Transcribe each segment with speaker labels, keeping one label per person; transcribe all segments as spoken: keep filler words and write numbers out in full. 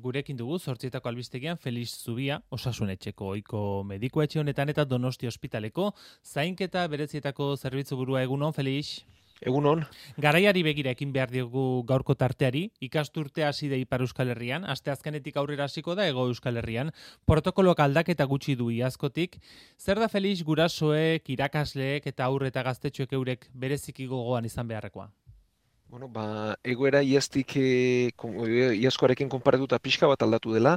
Speaker 1: Gurekin dugu zortzietako albistegian Felix Zubia, osasunetxeko ohiko mediko etxe honetan eta Donosti ospitaleko zainketa berezietako zerbitzu burua. Egunon, Felix.
Speaker 2: Egunon.
Speaker 1: Garaiari begira ekin behar diogu gaurko tarteari, ikasturte hasi da Ipar Euskal Herrian, asteazkenetik aurrera hasiko da Hego Euskal Herrian, protokoloak aldaketa gutxi du iazkotik. Zer da, Felix, gurasoek, irakasleek eta aurre eta gaztetxoek eurek bereziki gogoan izan beharrekoa?
Speaker 2: Bueno, ba, egoera iaztik e, kon, e, iazkoarekin konparatuta pixka bat aldatu dela,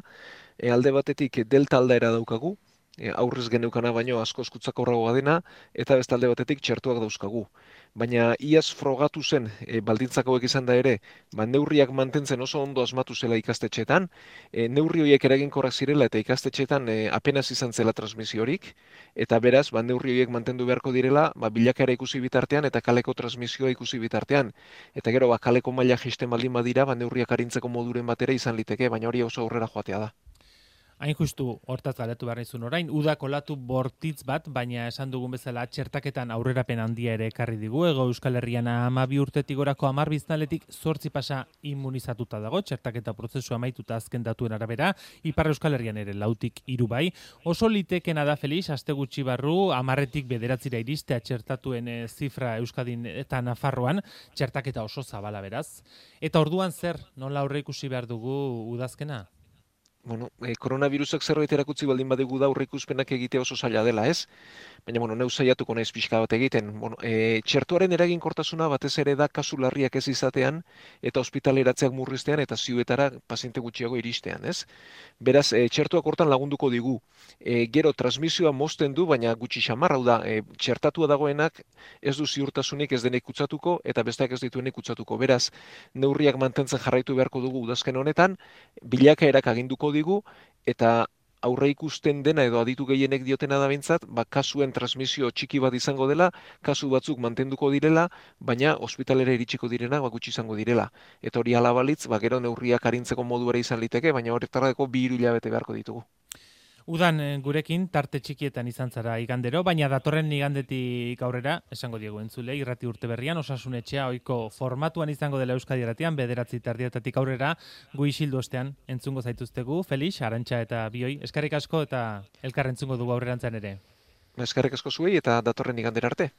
Speaker 2: e, alde batetik delta aldaera daukagu, e, aurrez geneukana baino asko eskutzak aurragoa dena, eta beste alde batetik txertuak dauzkagu. Baina iaz frogatu zen, e, baldintzak hauek izan da ere, ba, neurriak mantentzen oso ondo asmatu zela ikastetxeetan, e, neurri horiek eraginkorrak zirela eta ikastetxeetan e, apenas izan zela transmisiorik, eta beraz, ba, neurri horiek mantendu beharko direla, ba, bilakaera ikusi bitartean eta kaleko transmisioa ikusi bitartean. Eta gero, ba, kaleko maila jaisten baldin badira, ba, neurriak arintzeko moduren batera izan liteke, baina hori oso aurrera joatea da.
Speaker 1: Hain justu hortaz galdetu behar nizun orain, uda kolatu bortitz bat, baina esan dugun bezala txertaketan aurrerapen handia ere ekarri digu. Hego Euskal Herrian hamabi urtetik gorako hamar biztanletik zortzi pasa immunizatuta dago, txertaketa prozesua amaituta azken datuen arabera, Ipar Euskal Herrian ere lautik hiru bai. Oso litekena da, Felix, aste gutxi barru, hamarretik bederatzira iristea txertatuen e, zifra Euskadin eta Nafarroan, txertaketa oso zabala beraz. Eta orduan zer, nola aurre ikusi behar dugu udazkena?
Speaker 2: Bueno, e, koronavirusak zerbait erakutsi baldin badegu da aurreikuspenak egitea oso zaila dela, ez? Baina, bueno, neu saiatuko naiz pixka bat egiten. Bueno, e, txertuaren eraginkortasuna batez ere da kasu larriak ez izatean eta ospitaleratzeak murriztean eta ziuetara paziente gutxiago iristean, ez? Beraz, e, txertuak hortan lagunduko digu. E, gero, transmisioa mozten du, baina gutxi xamar, hau da, e, txertatua dagoenak ez du ziurtasunik ez denek kutsatuko eta besteak ez dituenek kutsatuko. Beraz, neurriak mantentzen jarraitu beharko dugu udazken honetan, bilakaerak aginduko digu, eta aurre ikusten dena edo aditu gehienek diotena da behintzat, ba, kasuen transmisio txiki bat izango dela, kasu batzuk mantenduko direla, baina ospitalera iritsiko direna ba, gutxi izango direla. Eta hori ala balitz, ba, gero neurriak arintzeko moduera izan liteke, baina horretarako bi hiru hilabete beharko ditugu.
Speaker 1: Udan gurekin tarte txikietan izan zara igandero, baina datorren igandetik aurrera, esango diegu entzule, irrati urte berrian, osasunetxea ohiko formatuan izango dela Euskadi Irratian, bederatzi terdietatik aurrera, gu isildu ostean entzungo zaituztegu, Felix, Arantxa eta Bioi, eskerrik asko eta elkar entzungo dugu aurrerantzan ere.
Speaker 2: Eskerrik asko zuei eta datorren igandera arte.